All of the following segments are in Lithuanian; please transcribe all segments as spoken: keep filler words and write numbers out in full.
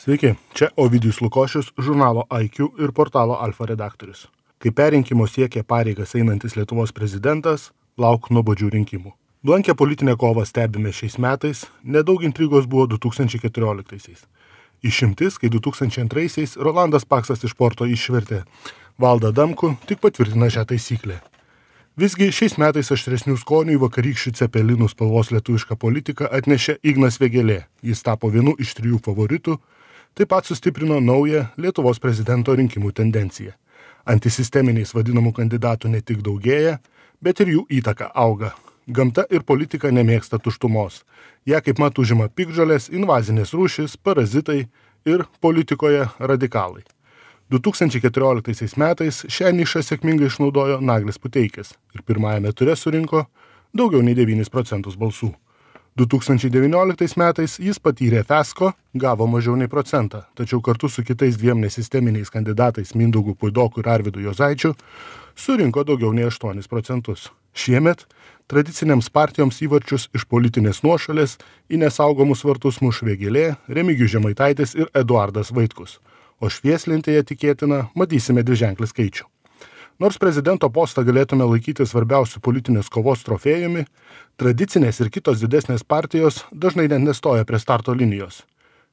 Sveiki, čia Ovidijus Lukošius, žurnalo I Q ir portalo Alfa redaktorius. Kai perrinkimo siekia pareigas einantis Lietuvos prezidentas, lauk nuobodžių rinkimų. Blankę politinę kovą stebime šiais metais, nedaug intrigos buvo du tūkstančiai keturioliktaisiais. Išimtis, kai du tūkstančiai antraisiais Rolandas Paksas iš Porto išvertė Valdą Adamkų, tik patvirtina šią taisyklę. Visgi šiais metais aštresnių skonių į vakarykščių cepelinų spalvos lietuvišką politiką atnešė Ignas Vėgėlė. Jis tapo vienu iš trijų favoritų, taip pat sustiprino naują Lietuvos prezidento rinkimų tendenciją. Antisisteminiais vadinamų kandidatų ne tik daugėja, bet ir jų įtaka auga. Gamta ir politika nemėgsta tuštumos. Ją kaip mat užima piktžolės, invazinės rūšys, parazitai ir politikoje radikalai. du tūkstančiai keturioliktaisiais metais šią nišą sėkmingai išnaudojo Naglis Puteikis ir pirmajame ture surinko daugiau nei devynis procentus balsų. du tūkstančiai devynioliktais metais jis patyrė fiasko, gavo mažiau nei procentą, tačiau kartu su kitais dviem nesisteminiais kandidatais Mindaugu Puidoku ir Arvydu Juozaičiu surinko daugiau nei aštuonis procentus. Šiemet tradicinėms partijoms įvarčius iš politinės nuošalės į nesaugomus vartus muš Vėgėlė, Remigijus Žemaitaitis ir Eduardas Vaitkus, o švieslentėje tikėtina matysime dviženklį skaičių. Nors prezidento postą galėtume laikyti svarbiausių politinės kovos trofėjumi, tradicinės ir kitos didesnės partijos dažnai net nestoja prie starto linijos.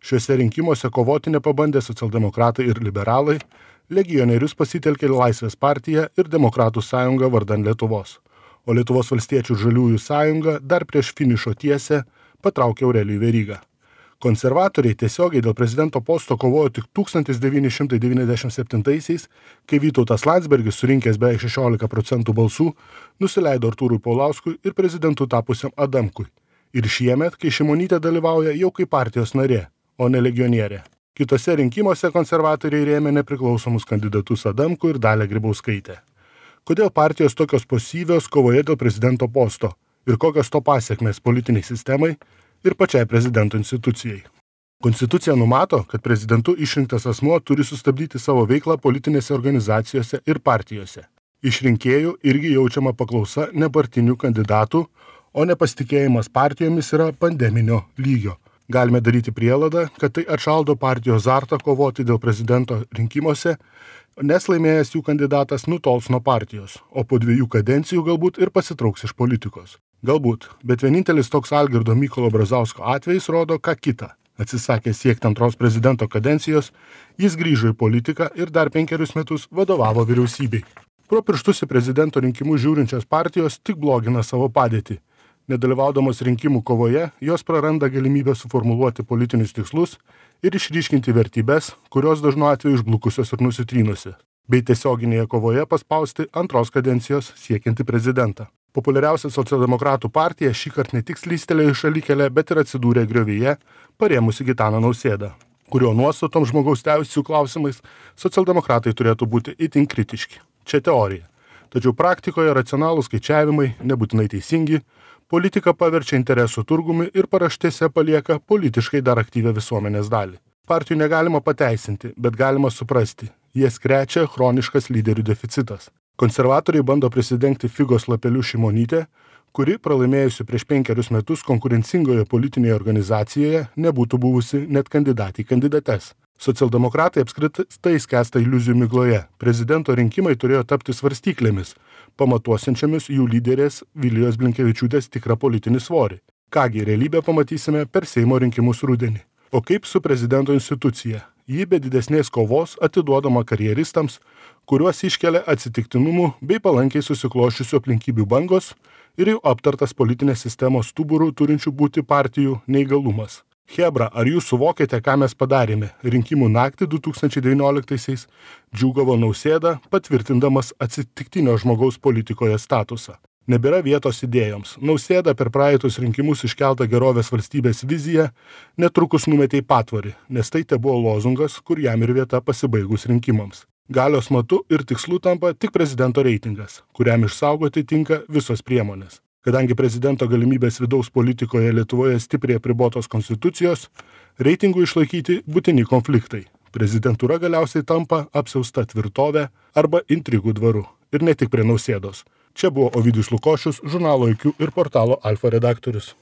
Šiuose rinkimuose kovoti nepabandė socialdemokratai ir liberalai, legionierius pasitelkė Laisvės partija ir Demokratų sąjunga vardan Lietuvos, o Lietuvos valstiečių ir žaliųjų sąjunga dar prieš finišo tiesę patraukė Aurelijų Verygą. Konservatoriai tiesiogiai dėl prezidento posto kovojo tik tūkstantis devyni šimtai devyniasdešimt septintaisiais, kai Vytautas Landsbergis, surinkęs beveik šešiolika procentų balsų, nusileido Artūrui Paulauskui ir prezidentu tapusiam Adamkui. Ir šiemet, kai Šimonytė dalyvauja jau kaip partijos narė, o ne legionierė. Kitose rinkimuose konservatoriai rėmė nepriklausomus kandidatus Adamkų ir Dalią Grybauskaitę. Kodėl partijos tokios pasyvios kovoje dėl prezidento posto ir kokios to pasiekmės politiniai sistemai ir pačiai prezidento institucijai. Konstitucija numato, kad prezidentu išrinktas asmuo turi sustabdyti savo veiklą politinėse organizacijose ir partijose. Iš rinkėjų irgi jaučiama paklausa nepartinių kandidatų, o nepasitikėjimas partijomis yra pandeminio lygio. Galime daryti prielaidą, kad tai atšaldo partijos azartą kovoti dėl prezidento rinkimuose, nes laimėjęs jų kandidatas nutols nuo partijos, o po dviejų kadencijų galbūt ir pasitrauks iš politikos. Galbūt, bet vienintelis toks Algirdo Mykolo Brazausko atvejis rodo ką kitą. Atsisakė siekti antros prezidento kadencijos, jis grįžo į politiką ir dar penkerius metus vadovavo vyriausybei. Pro pirštus į prezidento rinkimus žiūrinčios partijos tik blogina savo padėtį. Nedalyvaudamos rinkimų kovoje, jos praranda galimybę suformuluoti politinius tikslus ir išryškinti vertybės, kurios dažnu atveju išblukusios ir nusitrynusi, bei tiesioginėje kovoje paspausti antros kadencijos siekianti prezidentą. Populiariausia socialdemokratų partija šįkart ne tik slystelėjo į šalikelę, bet ir atsidūrė griovyje, parėmusi Gitaną Nausėdą, kurio nuostatom žmogaus teisių klausimais socialdemokratai turėtų būti itin kritiški. Čia teorija. Tačiau praktikoje racionalūs skaičiavimai, nebūtinai teisingi, politika paverčia interesų turgumi ir paraštėse palieka politiškai dar aktyvią visuomenės dalį. Partijų negalima pateisinti, bet galima suprasti. Jie krečia chroniškas lyderių deficitas. Konservatoriai bando prisidengti figos lapeliu Šimonytę, kuri, pralaimėjusi prieš penkerius metus konkurencingoje politinėje organizacijoje, nebūtų buvusi net kandidatė į kandidates. Socialdemokratai apskritai skęsta iliuzijų migloje. Prezidento rinkimai turėjo tapti svarstyklėmis, pamatuosiančiamis jų lyderės Vilijos Blinkevičiūtės tikrą politinį svorį. Kągi, realybę pamatysime per Seimo rinkimus rudenį. O kaip su prezidento institucija? Ji be didesnės kovos atiduodama karjeristams, kuriuos iškelia atsitiktinumų bei palankiai susikloščiusių aplinkybių bangos ir jau aptartas politinės sistemos stuburų turinčių būti partijų neįgalumas. Chebra, ar jūs suvokėte, ką mes padarėme? Rinkimų naktį du tūkstančiai devynioliktaisiais džiūgavo Nausėda, patvirtindamas atsitiktinio žmogaus politikoje statusą. Nebėra vietos idėjoms. Nausėda per praeitus rinkimus iškeltą gerovės valstybės viziją netrukus numetė į patvorį, nes tai te buvo lozungas, kur jam ir vieta pasibaigus rinkimams. Galios matu ir tikslu tampa tik prezidento reitingas, kuriam išsaugoti tinka visos priemonės. Kadangi prezidento galimybės vidaus politikoje Lietuvoje stipriai apribotos konstitucijos, reitingų išlaikyti būtini konfliktai. Prezidentūra galiausiai tampa apsiausta tvirtovė arba intrigų dvaru. Ir ne tik prie Nausėdos. Čia buvo Ovidijus Lukošius, žurnalo I Q ir portalo Alfa redaktorius.